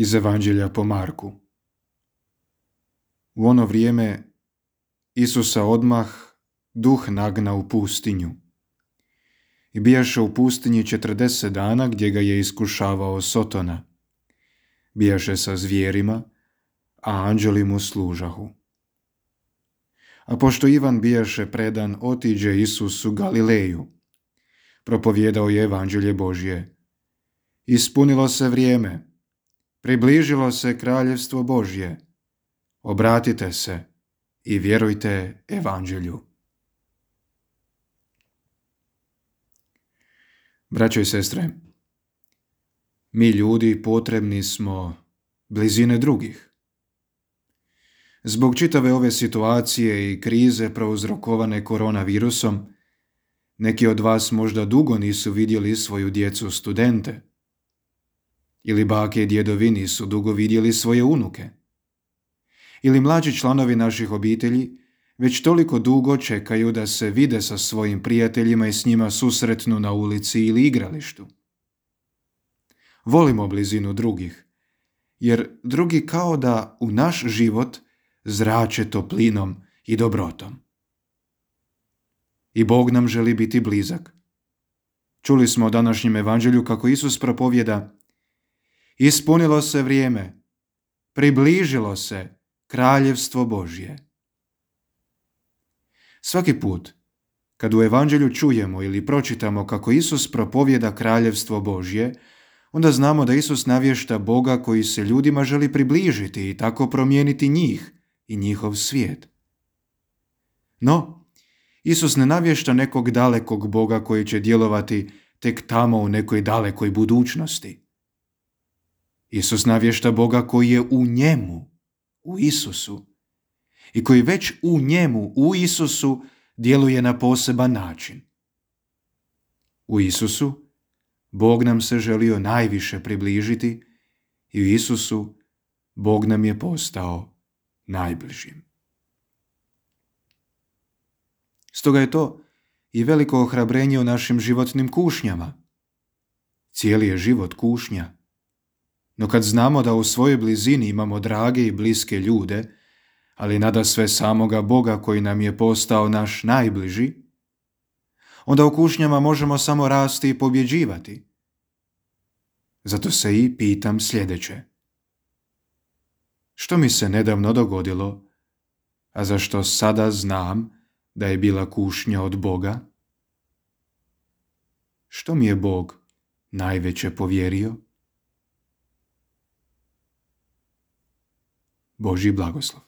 Iz Evanđelja po Marku. U ono vrijeme Isusa odmah duh nagna u pustinju. I bijaše u pustinji 40 dana gdje ga je iskušavao Sotona. Bijaše sa zvijerima, a anđeli mu služahu. A pošto Ivan bijaše predan, otiđe Isus u Galileju. Propovjedao je Evanđelje Božje. Ispunilo se vrijeme, približilo se kraljevstvo Božje. Obratite se i vjerujte Evanđelju. Braćo i sestre, mi ljudi potrebni smo blizine drugih. Zbog čitave ove situacije i krize prouzrokovane koronavirusom, neki od vas možda dugo nisu vidjeli svoju djecu studente. Ili bake i djedovi nisu dugo vidjeli svoje unuke. Ili mlađi članovi naših obitelji već toliko dugo čekaju da se vide sa svojim prijateljima i s njima susretnu na ulici ili igralištu. Volimo blizinu drugih, jer drugi kao da u naš život zrače toplinom i dobrotom. I Bog nam želi biti blizak. Čuli smo u današnjem evanđelju kako Isus propovjeda: ispunilo se vrijeme, približilo se kraljevstvo Božje. Svaki put kad u evanđelju čujemo ili pročitamo kako Isus propovjeda kraljevstvo Božje, onda znamo da Isus navješta Boga koji se ljudima želi približiti i tako promijeniti njih i njihov svijet. No, Isus ne navješta nekog dalekog Boga koji će djelovati tek tamo u nekoj dalekoj budućnosti. Isus navješta Boga koji je u njemu, u Isusu, i koji već u njemu, u Isusu, djeluje na poseban način. U Isusu Bog nam se želio najviše približiti i u Isusu Bog nam je postao najbližim. Stoga je to i veliko ohrabrenje u našim životnim kušnjama. Cijeli je život kušnja. No kad znamo da u svojoj blizini imamo drage i bliske ljude, ali nadasve samoga Boga koji nam je postao naš najbliži, onda u kušnjama možemo samo rasti i pobjeđivati. Zato se i pitam sljedeće. Što mi se nedavno dogodilo, a za što sada znam da je bila kušnja od Boga? Što mi je Bog najveće povjerio? Božji blagoslov.